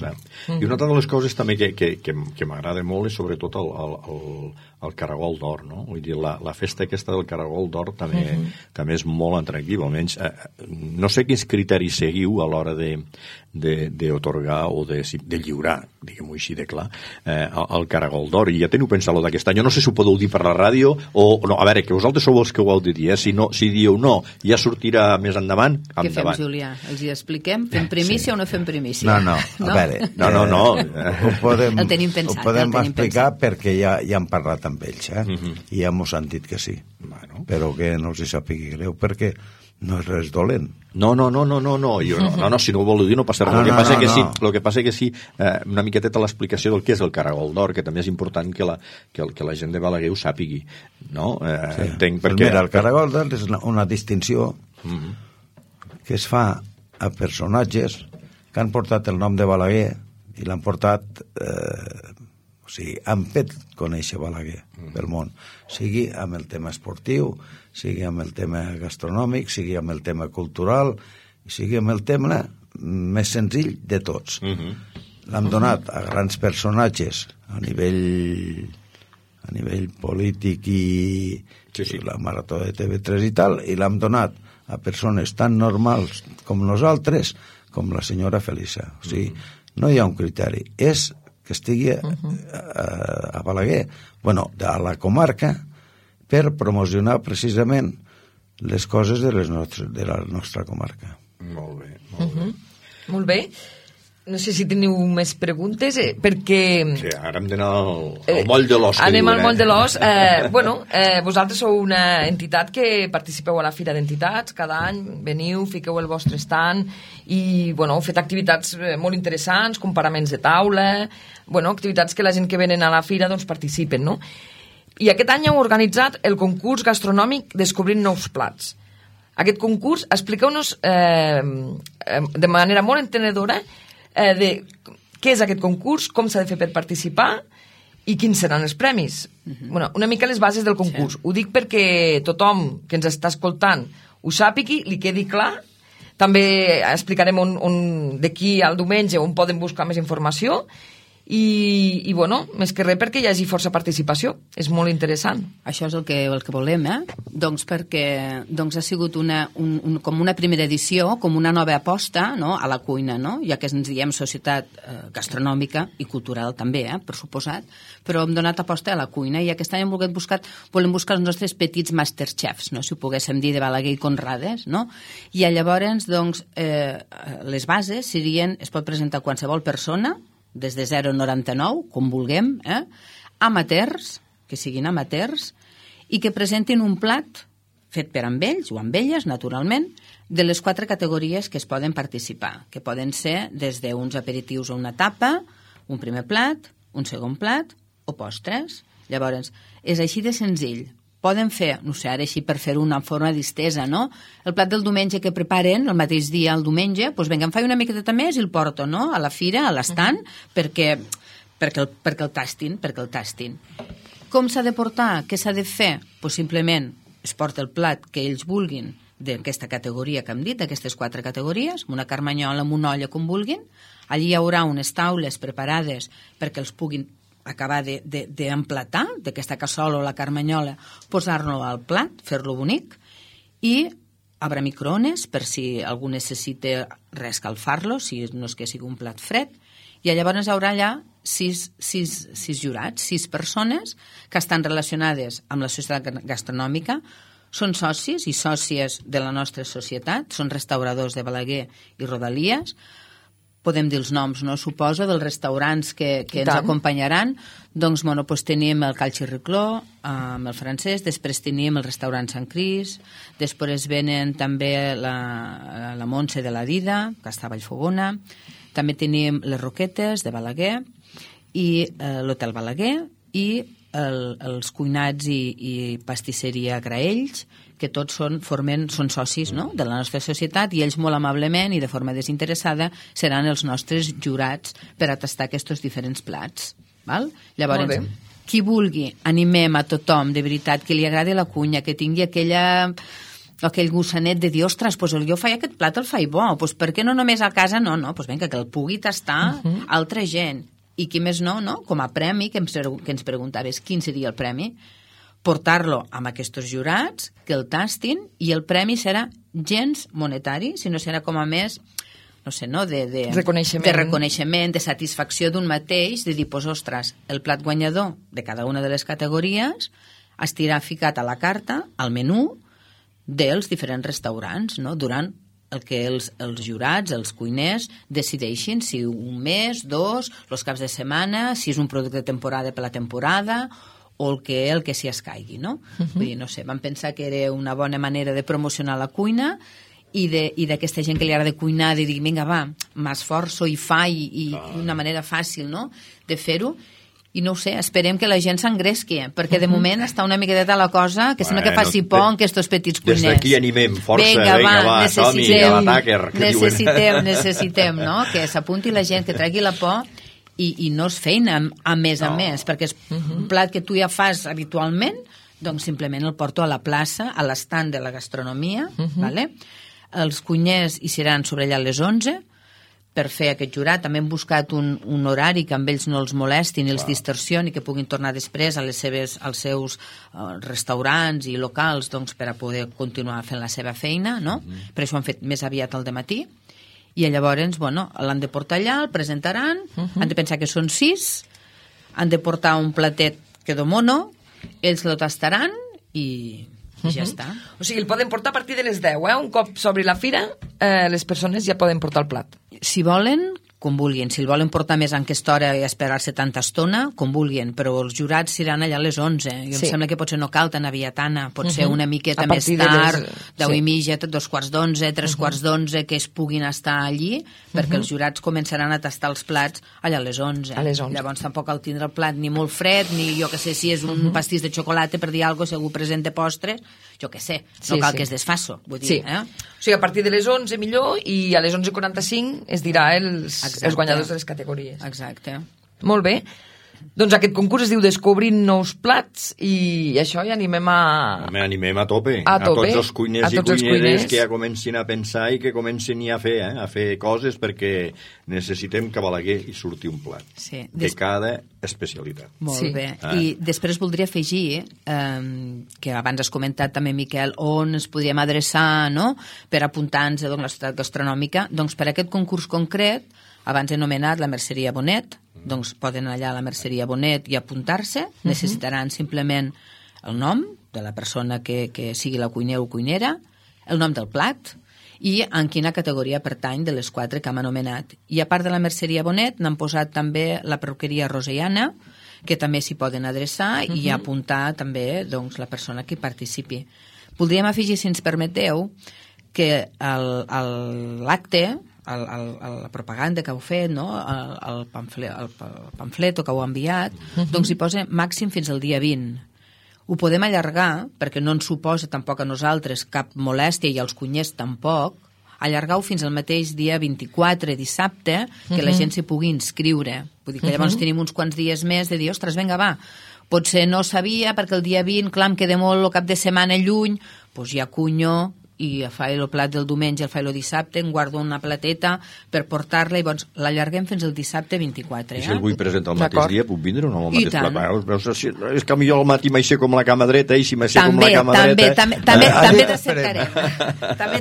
I una altra de les coses també que m'agrada molt és sobretot el Caragol d'Or, no? Vull dir, la festa aquesta del Caragol d'Or també és molt atractiva, almenys no sé quins criteris seguiu a l'hora d'atorgar o de lliurar, diguem-ho així de clar, el Caragol d'Or, i ja teniu pensat-lo d'aquest any. Jo no sé si ho podeu dir per la ràdio o no, a veure, que vosaltres sou els que ho heu de dir, si dieu no, ja sortirà més endavant, Què fem, Julià? Els hi expliquem? Fem primícia o no fem primícia? No, a veure, no. El tenim pensat. Ho podem explicar perquè ja hem parlat amb ells, i ja m'ho han dit que sí, però que no els hi sàpigui greu, perquè no és res dolent. No, si no ho voleu dir no passa res. El que passa que sí, una miqueteta l'explicació del que és el Caragol d'Or, que també és important que la gent de Balaguer ho sàpigui, no? Entenc perquè... Mira, el Caragol d'Or és una distinció que es fa a personatges que han portat el nom de Balaguer i l'han portat... O sigui, han fet conèixer Balaguer pel món, sigui amb el tema esportiu, sigui amb el tema gastronòmic, sigui amb el tema cultural, sigui amb el tema més senzill de tots. L'han donat a grans personatges a nivell polític i la Marató de TV3 i tal, i l'han donat a persones tan normals com nosaltres, com la senyora Felisa. O sigui, no hi ha un criteri, és que estigui a Balaguer, a la comarca, per promocionar precisament les coses de la nostra comarca. Molt bé. Molt bé. No sé si teniu més preguntes, perquè... Sí, ara hem d'anar al moll de l'os. Anem al moll de l'os. Vosaltres sou una entitat que participeu a la Fira d'Entitats, cada any veniu, fiqueu el vostre stand i heu fet activitats molt interessants, comparaments de taula, activitats que la gent que venen a la Fira participen, no? I aquest any heu organitzat el concurs gastronòmic Descobrint nous plats. Aquest concurs, expliqueu-nos de manera molt entenedora de què és aquest concurs, com s'ha de fer per participar i quins seran els premis. Una mica les bases del concurs. Ho dic perquè tothom que ens està escoltant ho sàpigui, li quedi clar. També explicarem d'aquí al diumenge on poden buscar més informació i més que res perquè hi hagi força participació. És molt interessant. Això és el que volem, perquè ha sigut com una primera edició, com una nova aposta a la cuina, ja que ens diem societat gastronòmica i cultural també, per suposat, però hem donat aposta a la cuina i aquest any volem buscar els nostres petits masterchefs, si ho poguéssim dir, de Balaguer i Conrades, i llavors les bases serien, es pot presentar qualsevol persona, des de 0,99, com vulguem, amateurs, que siguin amateurs, i que presentin un plat fet per amb ells o amb elles, naturalment, de les 4 categories que es poden participar, que poden ser des d'uns aperitius o una tapa, un primer plat, un segon plat o postres. Llavors, és així de senzill. Poden fer, no sé, ara així per fer una forma distesa, el plat del diumenge que preparen el mateix dia el diumenge, doncs vinga, em faig una miqueta més i el porto, a la fira, a l'estand, perquè el tastin, Com s'ha de portar? Què s'ha de fer? Doncs simplement es porta el plat que ells vulguin d'aquesta categoria que hem dit, d'aquestes 4 categories, una carmanyola, amb una olla, com vulguin. Allí hi haurà unes taules preparades perquè els puguin acabar d'emplatar d'aquesta cassola o la carmanyola, posar-lo al plat, fer-lo bonic, i haurà microones per si algú necessita reescalfar-lo, si no és que sigui un plat fred, i llavors hi haurà allà 6 jurats, 6 persones que estan relacionades amb la societat gastronòmica, són socis i sòcies de la nostra societat, són restauradors de Balaguer i Rodalies. Podem dir els noms, no? Suposo, dels restaurants que ens acompanyaran. Doncs, bueno, tenim el Cal Xirricló, amb el francès, després tenim el restaurant Sant Cris, després venen també la Montse de la Dida, que està a Vallfogona, també tenim les Roquetes de Balaguer, i l'Hotel Balaguer, i els cuinats i pastisseria Graells, que tots són socis, no?, de la nostra societat, i ells molt amablement i de forma desinteressada seran els nostres jurats per a tastar aquests diferents plats. Val? Llavors, qui vulgui, animem a tothom, de veritat, que li agradi la cuina, que tingui aquell gossanet de dir, ostres, doncs jo faig aquest plat, el faig bo, doncs per què no només a casa? No, doncs vinga, que el pugui tastar altra gent. I qui més no, com a premi, que ens preguntaves quin seria el premi, portar-lo amb aquests jurats, que el tastin, i el premi serà gens monetari, sinó serà com a més, no sé, no, de reconeixement, de satisfacció d'un mateix, de dir, doncs, ostres, el plat guanyador de cada una de les categories estirà ficat a la carta, al menú dels diferents restaurants, no?, durant el que els jurats, els cuiners, decideixin, si un mes, 2, els caps de setmana, si és un producte de temporada per la temporada, o el que s'hi escaigui, no? Vull dir, no sé, vam pensar que era una bona manera de promocionar la cuina i d'aquesta gent que li agrada cuinar, de dir, vinga, va, m'esforço i faig, i una manera fàcil, no?, de fer-ho. I no ho sé, esperem que la gent s'engresqui, perquè de moment està una miqueta la cosa que sembla que faci por en aquests petits cuiners. Des d'aquí animem, força, vinga, va, som-hi, a l'ataque. Necessitem, no?, que s'apunti la gent, que tregui la por i no és feina a més, perquè és un plat que tu ja fas habitualment, doncs simplement el porto a la plaça, a l'estand de la gastronomia, vale? Els cuiners hi seran sobre allà a les 11, per fer aquest jurat. També hem buscat un horari que amb ells no els molestin i els distorsioni, que puguin tornar després als seus restaurants i locals, doncs, per a poder continuar fent la seva feina, no? Per això ho han fet més aviat al dematí. I llavors, bueno, l'han de portar allà, el presentaran, han de pensar que són 6, han de portar un platet que domono, ells lo tastaran i ja està. O sigui, el poden portar a partir de les 10, Un cop s'obri la fira, les persones ja poden portar el plat. Si volen, com vulguin. Si el volen portar més en aquesta hora i esperar-se tanta estona, com vulguin, però els jurats seran allà a les 11. I em sembla que potser no cal tan aviatana, pot ser una miqueta més tard, 10 i mitja, 2:15, 3:15, que es puguin estar allí, perquè els jurats començaran a tastar els plats allà a les 11. Llavors tampoc cal tindre el plat ni molt fred, ni jo que sé, si és un pastís de xocolata, per dir alguna cosa, si algú presenta postre, jo que sé, no cal que es desfasso, vull dir, O sigui, a partir de les 11 millor, i a les 11:45 es dirà els guanyadors de les categories. Exacte. Molt bé. Doncs aquest concurs es diu Descobrint nous plats, i això ja animem a... Animem a tope. A tots els cuiners i cuineres que ja comencin a pensar i que comencin ja a fer coses, perquè necessitem que a Balaguer hi surti un plat de cada especialitat. Molt bé. I després voldria afegir, que abans has comentat també, Miquel, on ens podríem adreçar, no?, per apuntar-nos a la societat gastronòmica. Doncs per aquest concurs concret, abans anomenat la Merceria Bonet, doncs poden anar allà a la Merceria Bonet i apuntar-se. Necessitaran simplement el nom de la persona que sigui la cuiner o cuinera, el nom del plat i en quina categoria pertany de les 4 que hem anomenat. I a part de la Merceria Bonet n'han posat també la perruqueria Rosellana, que també s'hi poden adreçar i apuntar també, doncs, la persona que participi. Voldríem afegir, si ens permeteu, que l'acte, la propaganda que heu fet, no?, el pamflet que heu enviat, doncs hi posa màxim fins al dia 20. Ho podem allargar, perquè no ens suposa tampoc a nosaltres cap molèstia i als cuiners tampoc, allargar-ho fins al mateix dia 24, dissabte, que la gent s'hi pugui inscriure. Vull dir que llavors tenim uns quants dies més de dir, ostres, vinga, va, potser no sabia perquè el dia 20, clar, em queda molt el cap de setmana lluny, doncs ja cunyo i faig el plat del diumenge, el faig el dissabte, em guardo una plateta per portar-la i doncs l'allarguem fins al dissabte 24. I si el vull presentar el mateix dia, puc vindre o no el I mateix tant. plat? És que millor al matí m'aixeco com la cama dreta i si m'aixeco com la cama dreta... També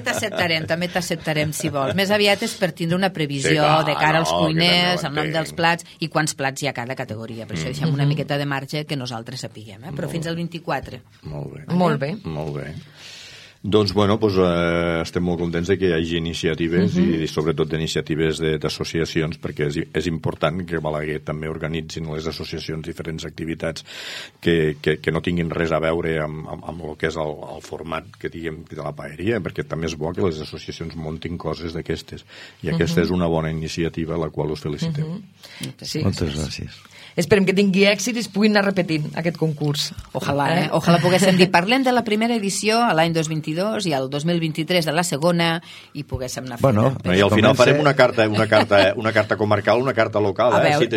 t'acceptarem. També t'acceptarem, si vols. Més aviat és per tindre una previsió de cara als cuiners, el nom dels plats i quants plats hi ha a cada categoria. Per això deixem una miqueta de marge que nosaltres sapiguem, però fins al 24. Molt bé. Molt bé. Molt bé. Doncs, bueno, estem molt contents de que hi hagi iniciatives i sobretot d'iniciatives d'associacions, perquè és important que Balaguer també organitzin les associacions diferents activitats que no tinguin res a veure amb el que és el format que diguem de la paeria, perquè també és bo que les associacions montin coses d'aquestes i aquesta és una bona iniciativa a la qual us felicitem. Sí. Moltes gràcies. Esperem que tingui èxit i es puguin anar repetint aquest concurs. Ojalà, Ojalà poguéssim dir. Parlem de la primera edició a l'any 2022 i al 2023 de la segona i poguéssim anar fent. Bueno, I al final farem una carta comarcal, una carta local, A veure,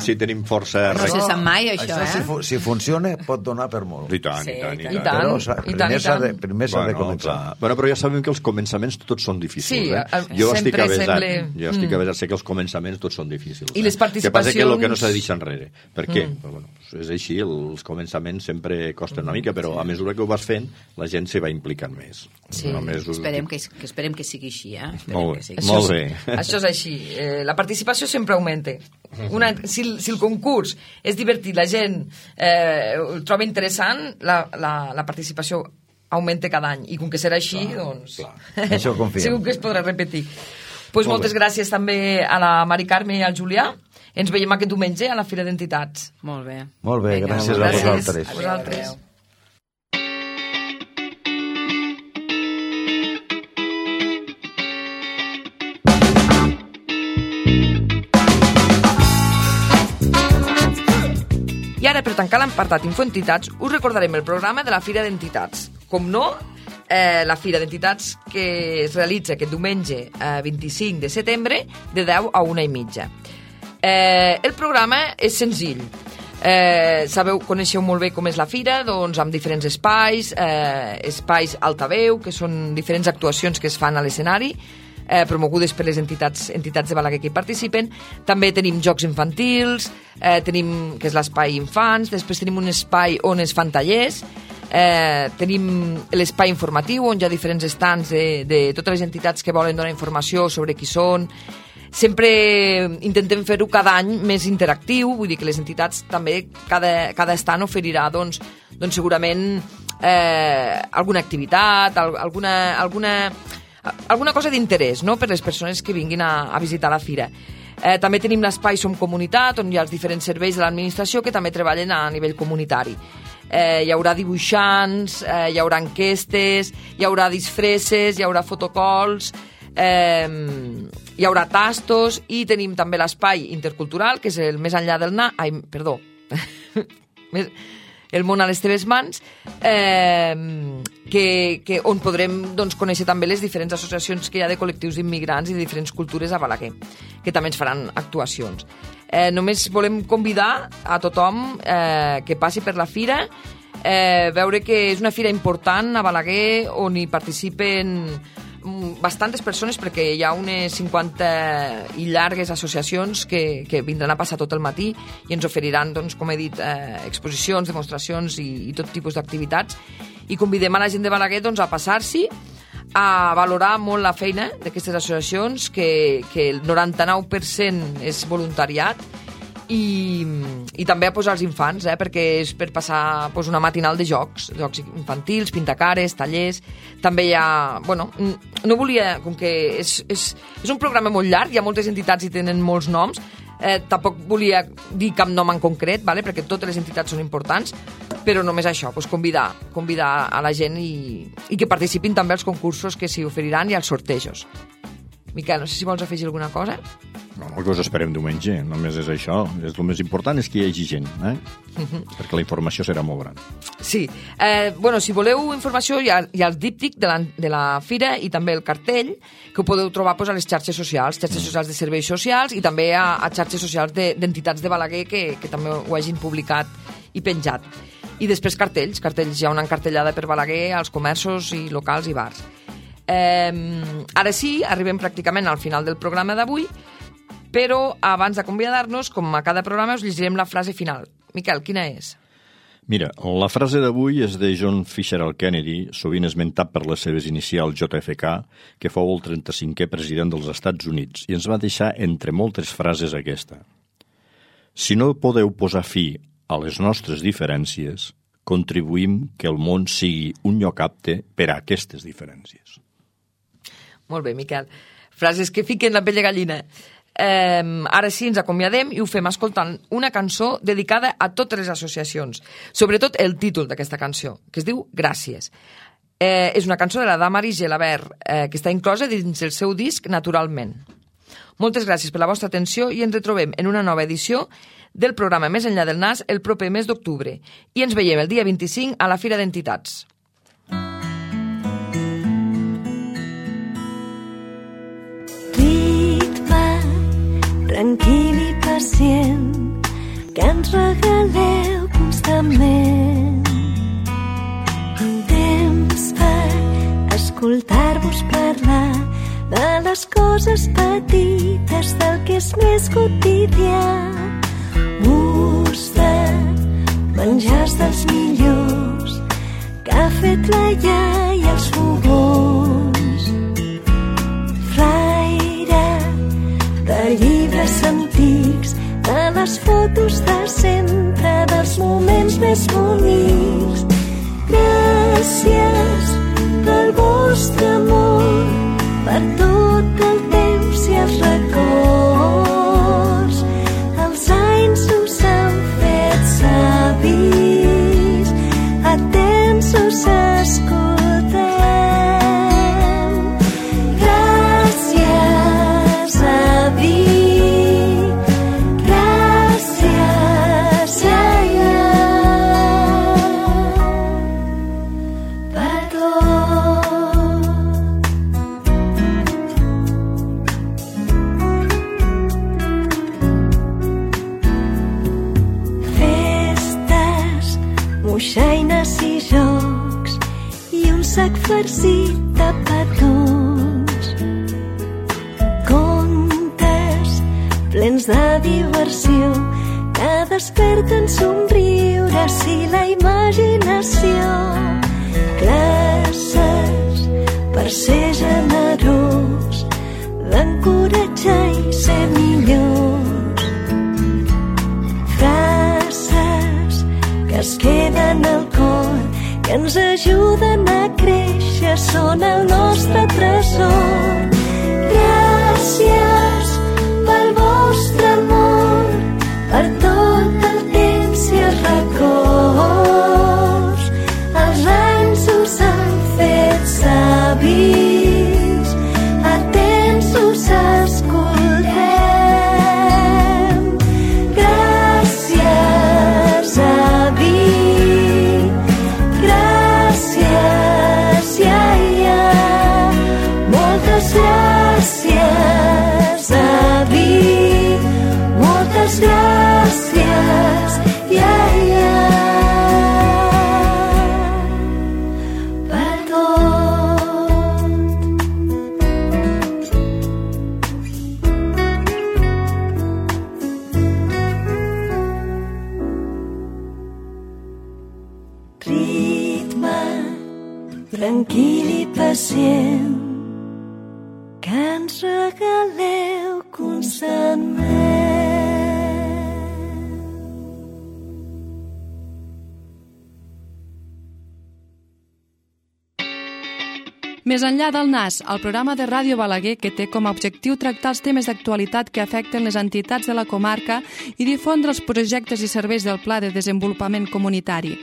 si tenim força... No se sap mai, això, si funciona, pot donar per molt. I tant. Però primer s'ha de començar. Bueno, però ja sabem que els començaments tots són difícils. Sí, Jo estic sempre avesat, sé que els començaments tots són difícils. I les participacions... Que passa que el que no s'ha de deixar enrere. Per què? Bueno, és així, els començaments sempre costen una mica, però a mesura que ho vas fent, la gent s'hi va implicant més. Sí. Esperem que sigui així, Molt bé. Això és així. La participació sempre augmenta. Si el concurs és divertit, la gent el troba interessant, la participació augmenta cada any. I com que serà així, doncs... Això confiem. Segur que es podrà repetir. Moltes gràcies també a la Mari Carme i al Julià. Ens veiem aquest diumenge a la Fira d'Entitats. Molt bé. Molt bé, gràcies a vosaltres. A vosaltres. I ara, per tancar l'apartat Infoentitats, us recordarem el programa de la Fira d'Entitats. Com no, la Fira d'Entitats que es realitza aquest diumenge 25 de setembre de 10 a 1:30. El programa és senzill. Coneixeu molt bé com és la fira, doncs amb diferents espais, espais altaveu, que són diferents actuacions que es fan a l'escenari, promogudes per les entitats de Balaguer que hi participen. També tenim jocs infantils, que és l'espai infants, després tenim un espai on es fan tallers, tenim l'espai informatiu on hi ha diferents estants de totes les entitats que volen donar informació sobre qui són. Sempre intentem fer-ho cada any més interactiu, vull dir que les entitats també cada estant oferirà doncs segurament alguna activitat, alguna cosa d'interès, no?, per les persones que vinguin a visitar la fira. També tenim l'espai Som Comunitat, on hi ha els diferents serveis de l'administració que també treballen a nivell comunitari. Hi haurà dibuixants, hi haurà enquestes, hi haurà disfresses, hi haurà fotocols, hi haurà tastos i tenim també l'espai intercultural, que és el Més enllà del el món a les teves mans, on podrem conèixer també les diferents associacions que hi ha de col·lectius immigrants i de diferents cultures a Balaguer, que també ens faran actuacions. Només volem convidar a tothom que passi per la fira, veure que és una fira important a Balaguer on hi participen bastantes persones, perquè hi ha unes 50 i llargues associacions que vindran a passar tot el matí i ens oferiran, doncs, com he dit, exposicions, demostracions i tot tipus d'activitats, i convidem a la gent de Balaguer doncs, a passar-s'hi, a valorar molt la feina d'aquestes associacions, que el 99% és voluntariat, i també a posar els infants, perquè és per passar una matinal de jocs infantils, pintacares, tallers. També hi ha... no volia... Com que és un programa molt llarg, hi ha moltes entitats i tenen molts noms, tampoc volia dir cap nom en concret, perquè totes les entitats són importants, però només això, convidar a la gent i que participin també als concursos que s'hi oferiran i als sortejos. Miquel, no sé si vols afegir alguna cosa. No, que us esperem diumenge, només és això. El més important és que hi hagi gent, perquè la informació serà molt gran. Sí. Si voleu informació, hi ha el díptic de la fira i també el cartell, que ho podeu trobar a les xarxes socials de serveis socials i també a xarxes socials d'entitats de Balaguer que també ho hagin publicat i penjat. I després cartells, hi ha una encartellada per Balaguer als comerços i locals i bars. Ara sí, arribem pràcticament al final del programa d'avui, però abans d'acomiadar-nos, com a cada programa, us llegirem la frase final. Miquel, quina és? Mira, la frase d'avui és de John Fitzgerald Kennedy, sovint esmentat per les seves inicials JFK, que fou el 35è president dels Estats Units, i ens va deixar entre moltes frases aquesta. Si no podeu posar fi a les nostres diferències, contribuïm que el món sigui un lloc apte per a aquestes diferències. Molt bé, Miquel. Frases que fiquen la pell de gallina. Ara sí, ens acomiadem i ho fem escoltant una cançó dedicada a totes les associacions. Sobretot el títol d'aquesta cançó, que es diu Gràcies. És una cançó de la Damaris Gelabert, que està inclosa dins el seu disc Naturalment. Moltes gràcies per la vostra atenció i ens retrobem en una nova edició del programa Més enllà del nas el proper mes d'octubre. I ens veiem el dia 25 a la Fira d'Entitats. Tranquil i pacient, que ens regaleu constantment. Temps per escoltar-vos parlar de les coses petites, del que és més quotidià. Gust de menjars dels millors que ha fet la iaia als fogons. De llibres antics, de les fotos de sempre, dels moments més bonics. Gràcies pel vostre amor, per tot el temps i els records. Els anys us han fet savis, atents us escoltem. Moixaines i jocs i un sac farcit de petons. Contes plens de diversió que desperten somriures i la imaginació. Classes per ser generós, d'encoratjar i ser millors. Frases que es queden al cor, que ens ajuden a créixer, són el nostre tresor. Gràcies pel vostre amor, per tot el temps i els records. Els anys us han fet savis, atents us escoltem. Gràcies, avi, gràcies, iaia, moltes gràcies, avi, moltes gràcies, iaia, per tot. Ritme tranquil i pacient que ens regaleu constantment. Més enllà del nas, el programa de Ràdio Balaguer que té com a objectiu tractar els temes d'actualitat que afecten les entitats de la comarca i difondre els projectes i serveis del Pla de Desenvolupament Comunitari.